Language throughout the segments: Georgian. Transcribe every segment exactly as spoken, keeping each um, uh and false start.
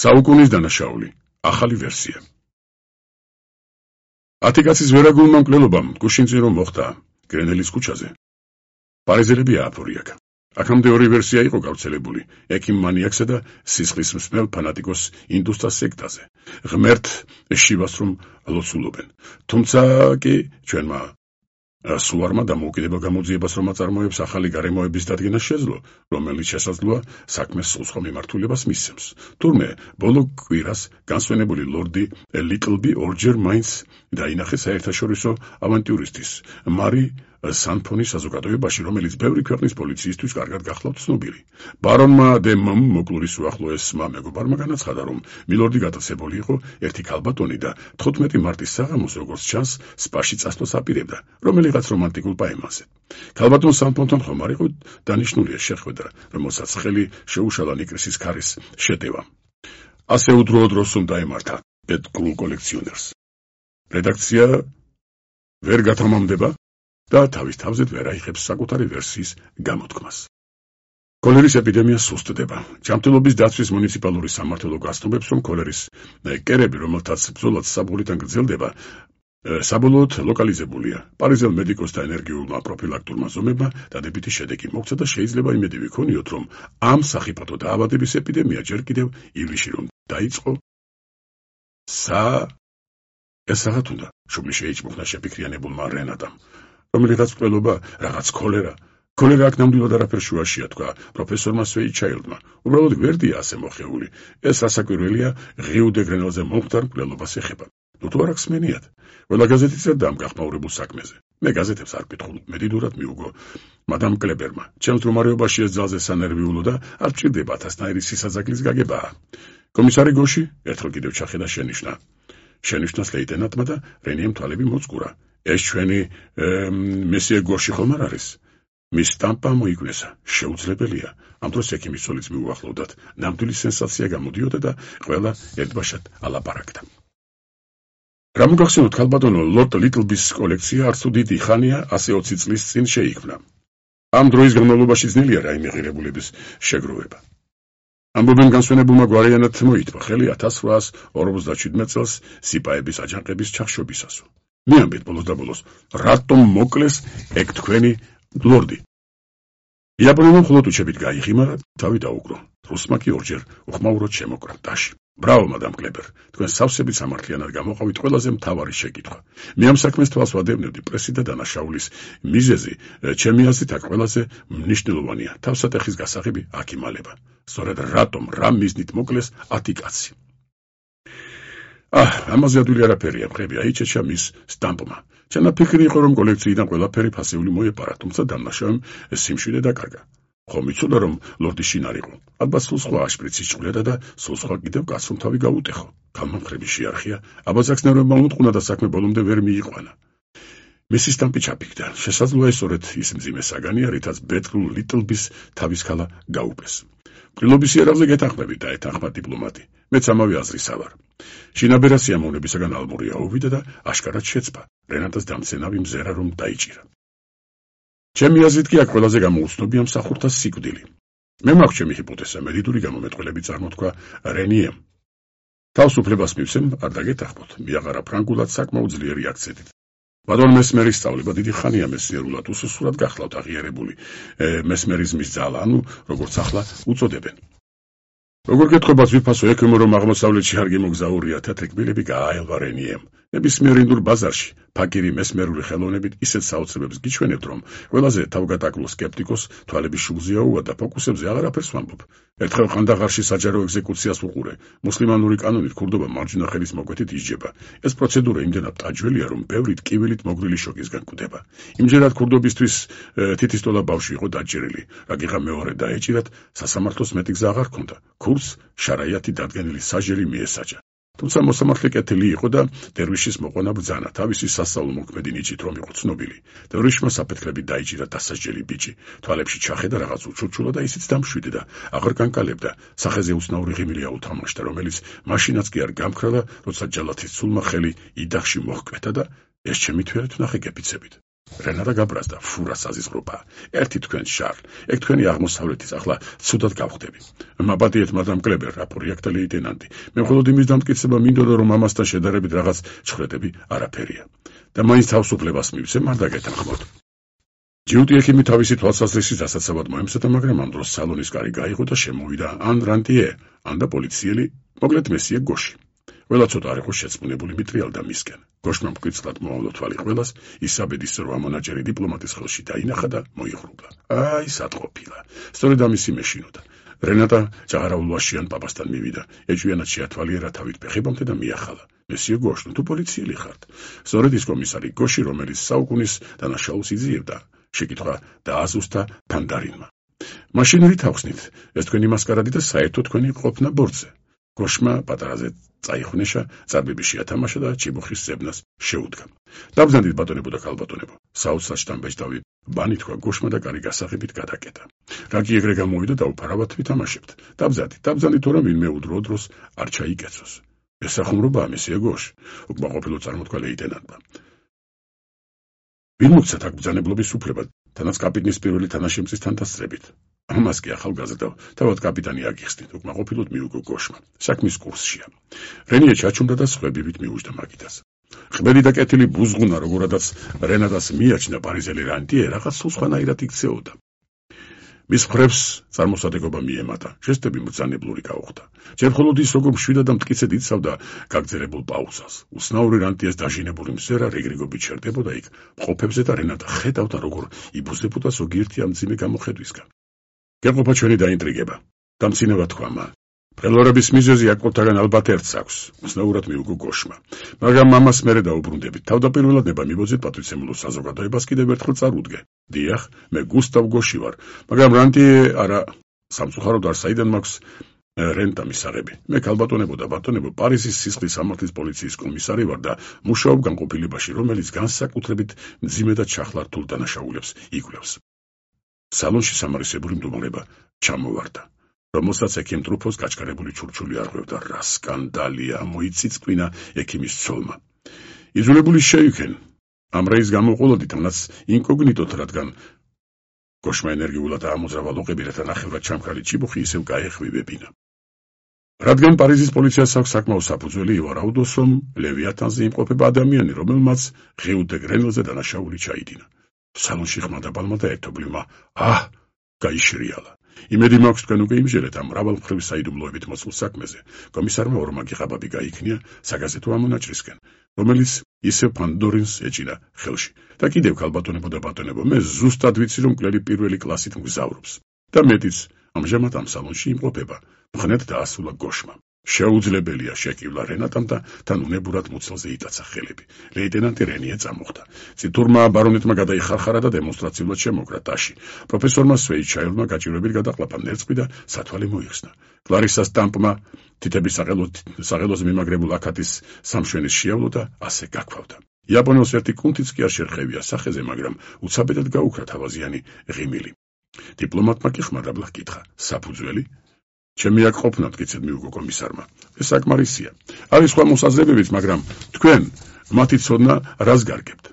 საუკუნის დანაშაული, ახალი ვერსია. ათი კაცის ვერაგულმა მკვლელობამ გუშინწინ რომ მოხდა გრენელის ქუჩაზე. პარიზელები ააფორიაკა. აქამდე ორი ვერსია იყო გავრცელებული, ექიმ მანიაკსა და სისხლის მსმელ ფანატიკოს ინდუსტას სექტაზე. ღმერთ შივას რომ ლოცულობენ. თუმცა კი ჩვენმა სუარმა დამოუკიდებელ გამოძიებას რომ აწარმოებს ახალი გარემოების დადგენა შეძლო, რომელიც შესაძლოა საქმეს სულსხვა მიმართულებას მისცემს. თურმე ბოლო კვირას განსვენებული ლორდი ლიკლბი ორჯერ მაინც დაინახეს საერთაშორისო ავანტიურისტის მარი სანფონის საზოგადოებაში, რომელიც ბევრი ქვეყნის პოლიციისთვის კარგად გახლავთ ცნობილი. ბარონმა დე მომ მოკლურის უახლოესმა მეგობარმა განაცხადა, რომ მილორდი გატაცებული იყო ერთი ქალბატონი და თხუთმეტი მარტის საღამოს, როგორც ჩანს, სპაში წასვლას აპირებდა, რომელიღაც რომანტიკულ პაემანზე. ქალბატონ სანფონთან ხომ არ იყო დანიშნულია შეხვედრა, რომელსაც ხელი შეუშალა ნიკრისის ქარის შეტევამ. ასე უდროოდ დროს უნდა ემართა პეტკრულ კოლექციონერს. რედაქცია ვერ გათამამდება და თავის თავზე ვერ აიღებს საკუთარი ვერსიის გამოთქმას. კოლერის ეპიდემია სუსტდება. ჯანმრთელობის დაცვის მუნიციპალური სამმართველო გასტობებს, რომ კოლერის კერები, რომელთაც ბრძოლაც საბოლოოდან გრძელდება, საბოლოოდ ლოკალიზებულია. პარიზელ მედიკოსთა ენერგიულმა პროფილაქტურმა ზომებმა დადებითი შედეგი მოგვცა და შეიძლება იმედი ვიქონიოთ, რომ ამ სახიფათო დაავადების ეპიდემია ჯერ კიდევ ივლისში რომ დაიწყო. სა ეს რაღაც უნდა შუბლი შეიჭმუხნა შეფიქრიანებულმა რენატამ. რომელიღაც მკვლელობა, რაღაც კოლერა. კოლერა აქ ნამდვილად არაფერ შუაშია, თქვა პროფესორმა სვეიჩაილდმა. უბრალოდ გვერდია ასე მოხეული. ეს რასაკვირველია ღიუ დე გრენელზე მომხდარ მკვლელობას ეხება. ნუ თუ არ აქვს მენიათ. ყველა გაზეთი წერდა ამ გახმაურებულ საქმეზე. მე გაზეთებს არ ვკითხულ, მედიდურად მიუგო მადამ კლებერმა. ჩემს მდგომარეობაში ეს ძალზე სანერვიულო და არ ვჭირდება ათასნაირი სისაძაგლის გაგებაა. კომისარი გოში ერთხელ კიდევ ჩახედა შენიშვნა. შენიშვნას ლეიტენანტმა და რენიემ თვალები მოწყურა. ეს ჩვენი მესიე გოში ხომ არ არის? მის სტამპა მოიგნესა. შეუძლებელია. ამ დროს ექიმის ცოლიც მიუახლოვდათ. ნამდვილი სენსაცია გამოდიოდა და ყველა ერთბაშად ალაპარაკდა. რა მოგახსენოთ ქალბატონო, ლორდ ლიკლბის კოლექცია არც თუ დიდი ხანია ასე ოცი წლის წინ შეიქმნა. ამ დროის განმავლობაში ძნელია რაიმე ღირებულების შეგროვება. ამბობენ განსვენებულმა გვარიანად მოითვა ხელი ათას რვაას ორმოცდაშვიდმეტ წელს სიპაების აჯანყების ჩახშობისას. მიამბეთ ბოლოს და ბოლოს, რატომ მოკლეს ეგ თქვენი ლორდი? იაპონელმა მხოლოდ უჩებით გაიღიმა, თავი დაუკრო. რუსმა კი ორჯერ უხმაუროდ შემოკრა დაში. ბრავო, მადამ კლებერ, თქვენ სავსებით სამართლიანად გამოყავით ყველაზე მთავარი შეკითხვა. მე ამ საქმეს თვალს ვადევნებდი პრესი და დანაშაულის მიზეზი, ჩემი აზრით აქ ყველაზე მნიშვნელოვანია თავსატეხის გასაღები აქ იმალება. სწორედ რატომ, რა მიზნით მოკლეს ათი კაცი? აჰ, ამაზე ადვილი არაფერია, მხრები აიჩეჩა მის სტამპმა. ჩანაფიქრი იყო, რომ კოლექციიდან ყველაფერი ფასეული მოეპარა, თუმცა დამნაშავემ სიმშვიდე დაკარგა. ხომ იცოდა, რომ ლორდი შინარ იყო. ალბათ სულ სხვა აშპრიცი ჭყვრიადა და სულ სხვა კიდევ კაცრომ თავი გაუტეხო. ქალმა მხრები შეარხია, აბაზაკს ნერვებმა უმტყუნა და საქმე ბოლომდე ვერ მიიყვანა. მისი სტამპი ჩაფიქდა. შესაძლოა სწორედ ის მძიმე საგანია, რითაც ბეტკრულ ლიკლბის თავის ქალა გაუპეს. მკვლელობის იარაღზე გეთანხმებით და ეთანხმა დიპლომატი. მეც ამავე აზრისა ვარ. შინაბერა სიამოვნებისაგან ალმური აუვიდა და აშკარად შეცპა. რენატას დამცენავი მზერა რომ დაიჭირა. ჩემი აზრით კი აქ ყველაზე გამოუცნობია მსახურთა სიკვდილი. მე მაქვს ჩემი ჰიპოთეზა, მედიდური გამომეტყველები წარმოთქვა რენიემ. თავს უფლებას მივცემ, არ დაგეთანხმოთ, მიაღარა ფრანგულად საკმაოდ ძლიერი აქცენტით. ბატონ მესმერის სწავლება დიდი ხანია მეცნიერულად უსუსურად გახლავთ აღიარებული მესმერიზმის ძალა, ანუ როგორც ახლა უწოდებენ. როგორ გეთხოვათ ვიფასო ექიმო, რომ აღმოსავლეთში არ გემოგზაურია, თეთრკბილები გააელვა რენიემ. ნებისმიერ ინდურ ბაზარში ფაკირი მესმერული ხელოვნებით ისეთ საოცრებებს გიჩვენებთ, რომ ყველაზე თავგადაკლო სკეპტიკოს თვალების შუბლზეა უვა და ფოკუსებზე აღარაფერს ვამბობ. ერთხელ ყანდაღარში საჯარო ეგზეკუციას ვუყურე. მუსლიმანური კანონით ქურდობა მარჯვენა ხელის მოკვეთით ისჯება. ეს პროცედურა იმდენად ტაჯველია, რომ ბევრი ტკივილით მოგრილი შოკისგან კვდება. იმჯერად ქურდობისთვის თითისტოლა ბავშვი იყო დაჭერილი. რაგიღა მეორე დაეჭირათ, სასამართლოს მეტი გზა აღარ ჰქონდა. ქურს შარაიათი დადგენილი საჟელი მიესაჯა. თუმცა მოსამართლე კეთილი იყო და დერვიშის მოყვანა ბრძანა, თავისი სასწავლო მოქმედი ნიჭით რომ იყო ცნობილი. დერვიშმა საფეთქლებით დაიჭირა დასაჯელი ბიჭი, თვალებში ჩახედა რაღაც უჩურჩულა და ისიც დამშვიდე და აღარ განკალებდა. სახეზე უცნაური ღიმილი აუთამაშდა, რომელიც მაშინაც კი არ გამქრალა, როცა ჯალათის ცულმა ხელი იდახში მოჰკვეთა და ეს ჩემი თვალით ვნახე გეფიცებით. რენატა გაბრაზდა, ფურა საზიზღრობა. ერთი თქვენ შარლ, ეგ თქვენი აღმოსავლეთის, ახლა ცუდად გავხდები. მაპატიეთ მადამ კლებერ, რაპორიაკთა ლეიტენანტი. მე მხოლოდ იმის დამტკიცება მინდოდა, რომ ამასთან შედარებით რაღაც ჩხრედები არაფერია. და მაინც თავისუფლებას მივცემ, არ დაგეთანხმოთ. ჯიუტი ექიმი თავისი თვალსაზრისით დასაცავად მოემზადა, მაგრამ ამ დროს სალონის კარი გაიღო და შემოვიდა ან რანტიე, ან და პოლიციელი, მოკლედ მესიე გოში. ყველა ცოტა არ იყო შეწმუნებული მიტრიალდა მისკენ. გოშმა მკვიცრად მოავლო თვალი ყველას, ისაბედის რვა მონაჭერი დიპლომატის ხელში დაინახა და მოიხრულა. აი, სათყოფილა. სწორედ ამისი მეშინოდა. რენატა ჭაღარაულვაშიან პაპასთან მივიდა. ეჭვიანად შეათვალიერა თავით ფეხებამდე და მიახალა. მესიე გოშ, თუ პოლიციელი ხართ. სწორედ ის კომისარი გოში, რომელიც საუკუნის დანაშაულს იძიებდა. შეკითხვა დააზუსტა ფანდარინმა. მაშინ რით ახსნით, ეს თქვენი მასკარადი და საერთოდ თქვენი ყოფნა ბორცე. გოშმა პატარაზე წაიხვნეშა, წარბები შეათამაშა და ჭიბუხის ზებნას შეუდგა. დაბრძანდით ბატონებო და ქალბატონებო, საოცრად შტამბეჭდავი ბანი თქვა გოშმა და კარი გასაღებით გადაკეტა. რა კი ეგრე გამოვიდა და უფარავად ვითამაშებთ. დაბრძანდით, დაბრძანდით, თორემ ვინმე უდრო დროს არ ჩაიკეცოს. ეს სახუმრობაა, მესიე გოშ, უკმაყოფილო წარმოთქვა ლეიტენანტმა. ვინ მოგცათ აქ ბრძანებლობის უფლება, თანაც კაპიტნის პირველი თანაშემწის თანდასწრებით. ამას კი ახალგაზრდა, თავად კაპიტანი აგიხსნით, უკმაყოფილოდ მიუგო გოშმა. საქმის კურსშია. რენიე ჩაჩუმდა და სხვებივით მიუჯდა მაგიდას. ყბელი და კეთილი ბუზღუნა, როგორადაც რენატას მიაჩნდა პარიზელი რანტიე, რაღაც სულ სხვანაირად იქცეოდა. მის მხრებს წარმოსადეგობა მიემატა, ჟესტები მბრძანებლური გაუხდა. ჯერ მხოლოდ ის, როგორ მშვიდად და მტკიცედ იცავდა გაგრძელებულ პაუზას. უცნაური რანტიეს დაჟინებული მსერა რიგრიგობით შერდებოდა იქ მყოფებზე და რენატა ხედავდა, როგორ იბუზებოდა ზოგიერთი ამ მძიმე გამოხედვისგან. გეყოფა ჩვენი დაინტრიგება. დამცინებად თქვა მან. მკვლელობების მიზეზი აკოლთაგან ალბათ ერთს აქვს, უცნაურად მიუგო გოშმა. მაგრამ მამას მერე დაუბრუნდებით. თავდაპირველად ნება მიბოძეთ პატრიცემულო საზოგადოებას კიდევ ერთხელ წარუდგე. დიახ, მე გუსტავ გოში ვარ, მაგრამ რანტიე არა სამწუხაროდ არ საიდან მაქვს რენტა მისაღები. მე ქალბატონებო და ბატონებო, პარიზის სისხლის სამართლის პოლიციის კომისარი ვარ და მუშაობ განყოფილებაში, რომელიც განსაკუთრებით მძიმე და ჩახლართულ დანაშაულებს იკვლევს. სალონში სამარისებური მდუმარება ჩამოვარდა, რომელსაც ექიმ ტრუფოს გაჩქარებული ჩურჩული არღვევდა. რა სკანდალია, მოიწიწკვინა ექიმის ცოლმა. იძულებული შეიქენ. ამ რეის გამოყოლოდით, მანაც ინკოგნიტოთ, რადგან გოშმა ენერგიულად ამოძრავა ლოყები, რათა ნახევრად ჩამქრალი ჭიბუხი ისევ გაეხვივებინა. რადგან პარიზის პოლიციას აქვს საკმაო საფუძველი ივარაუდოს, რომ ლევიათანზე იმყოფება ადამიანი, რომელმაც ღიუ დე გრენელზე დანაშაული ჩაიდინა. სალონში ხმადაბალმა და ერთობლივმა აჰ გაიშრიალა. იმედი მაქვს თქვენ უკვე იმჟელეთ ამ მრავალმხრივი საიდუმლოებით მოცულ საქმეზე. კომისარმა ორმაგი ყაბაბი გაიქნია საგაზეთო ამონაჭრისკენ, რომელიც ისევ ფანდორინს ეჭირა ხელში. და კიდევ ქალბატონებო და ბატონებო, მე ზუსტად ვიცი, რომ მკვლელი პირველი კლასით მგზავრობს. და მეტიც, ამჟამად ამ სალონში იმყოფება. მხნედ დაასრულა გოშმა. შეუძლებელია შეკივლა რენატამ და თან უნებურად მუცელზე იტაცა ხელები. ლეიტენანტი რენიე წამოხდა. წითურმა ბარონეტმა გადაიხარხარა და დემონსტრაციულად შემოგრა ტაში. პროფესორმა სვეიჩაილმა გაჭირვებით გადაყლაპა ნერწყვი და სათვალე მოიხსნა. კლარისა სტამპმა თითების საღელოზე მიმაგრებულ აკატის სამშვენის შეავლო და ასე გაქվავდა. იაპონელს ერთი კუნთიც კი არ შერხევია სახეზე, მაგრამ უცაბედად გაუქრა თავაზიანი ღიმილი. დიპლომატმა კი ხმარაბლა ჰკითხა: საფუძველი? ჩემი აქ ყოფნა, მტკიცედ მიუგო კომისარმა. ეს საკმარისია. არის სხვა მოსაზრებებიც, მაგრამ თქვენ მათი ცოდნა რას გარგებთ?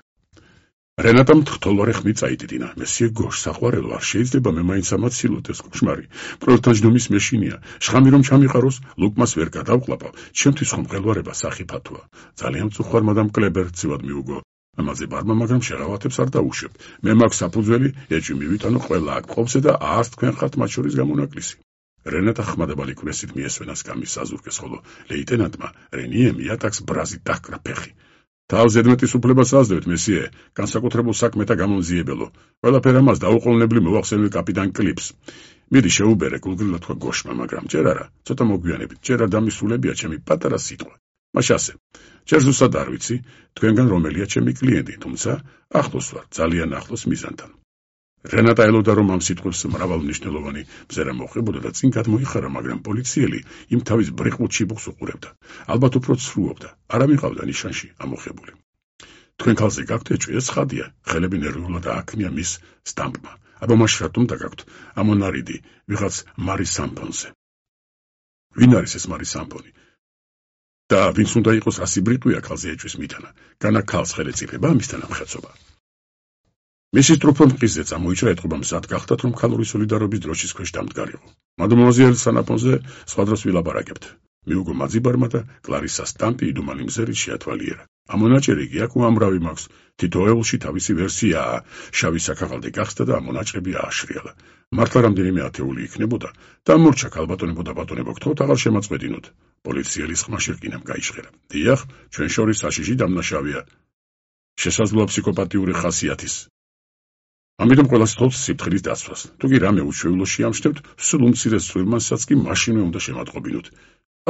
რენატამ თხთოლვარე ხმით წაიტიტინა. მესიე გოშ, საყვარელო, არ შეიძლება მე მაინც ამაცილოთ, ეს კოშმარი. პროექტთან ჯდომის მეშინია. შხამი რომ ჩამიყაროს, ლუკმას ვერ გადავყლაპავ. ჩემთვის ხომ მღელვარება სახიფათოა. ძალიან მწუხვარ მადამ კლებერ, ცივად მიუგო ამაზე ბარმა, მაგრამ შეღავათებს არ დაუშვებ. მე მაქვს საფუძველი, ეჭვი მივიტანო ყველა აქ მყოფზე და არც თქვენ ხართ მათ შორის გამონაკლისი. რენატა ხმადაბალი კვესით მიესვენა სკამის საზურგეს, ხოლო ლეიტენანტმა რენიემ იატაკს ბრაზით დაჰკრა ფეხი. თავ ზედმეტის უფლებას აძლევთ, მესიე, განსაკუთრებულ საქმეთა გამომძიებელო. ყველაფერ ამას დაუყოვნებლივ მოვახსენე კაპიტან კლიპს. მიდი შეუბერე, გულგრილად თქვა გოშმა, მაგრამ ჯერ არა, ცოტა მოგვიანებით, ჯერ არ დამისულებია ჩემი პატარა სიტყვა. მაშ ასე, ჯერ ზუსტად არ ვიცი, თქვენგან რომელია ჩემი კლიენტი, თუმცა ახლოს ვარ, ძალიან ახლოს მიზანთან. რენატა ელოდა, რომ ამ სიტყვებს მრავალმნიშვნელოვანი ბზერა მოხებოდა და წინ გადმოიხარა, მაგრამ პოლიციელი იმ თავის ბრიყმულ ჩიბუხს უყურებდა. ალბათ უფრო ცრუობდა, არ ამიყავდა ნიშანში ამოხებული. თქვენ ქალზე გაქვთ ეჭვი, ეს ცხადია, ხელები ნერვიულად ააქნია მის სტამპმა. აბა მაშ რატომ დაგაქვთ ამონარიდი ვიღაც მარი სამპონზე? ვინ არის ეს მარი სამპონი? და ვინც უნდა იყოს ასი ბრიტვია ქალზე ეჭვის მიტანა? განა ქალს ხელეწიფება ამისთან ამხეცობა. მისის ტრუფომ მყისზე წამოიჭრა ეთყობა მზად გახდათ, რომ ქალური სოლიდარობის დროშის ქვეშ დამდგარიყო. მადმუაზელ სანაპონზე სხვა დროს ვილაპარაკებთ. მიუგო მაძიბარმა და კლარისას სტამპი იდუმალი მზერით შეათვალიერა. ამონაჭერი კი აქ უამრავი მაქვს. თითოეულში თავისი ვერსიაა. შავი საქაღალდე გახსდა და ამონაჭრები ააშრიალა. მართლა რამდენიმე ათეული იქნებოდა და მორჩა ქალბატონებო და ბატონებო გთხოვთ აღარ შემაწყვეტინოთ. პოლიციელის ხმაში რკინამ გაიჟღერა. დიახ, ჩვენ შორის საშიში დამნაშავეა. შესაძლოა ფსიქოპათიური ხასიათის. ამიტომ ყველას თხოვთ სიფრთხილის დაცვას. თუ კი რამე უჩვეულოში ამშთევთ, სულ უმცირეს ცვლილმანსაც კი მაშინვე უნდა შემატყობინოთ.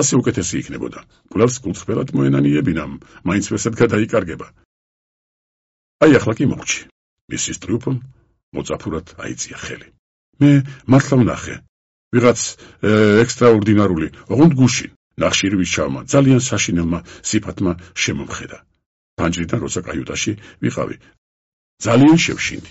ასე უკეთესი იქნებოდა. გულავს კუთხველად მოენანიებინამ, მაინც ვერსად გადაიკარგება. აი ახლა კი მოვჭი. მისის ტრიუმფომ მოწაფურად აიწია ხელი. მე მართლა ვნახე. ვიღაც ექსტრაორდინარული, ოღონდ გუშინ, ნახშირის ჩავმა, ძალიან საშინელმა სიფათმა შემომხედა. ფანჯრიდან როცა კაიუტაში ვიყავი, ძალიან შევშინდი.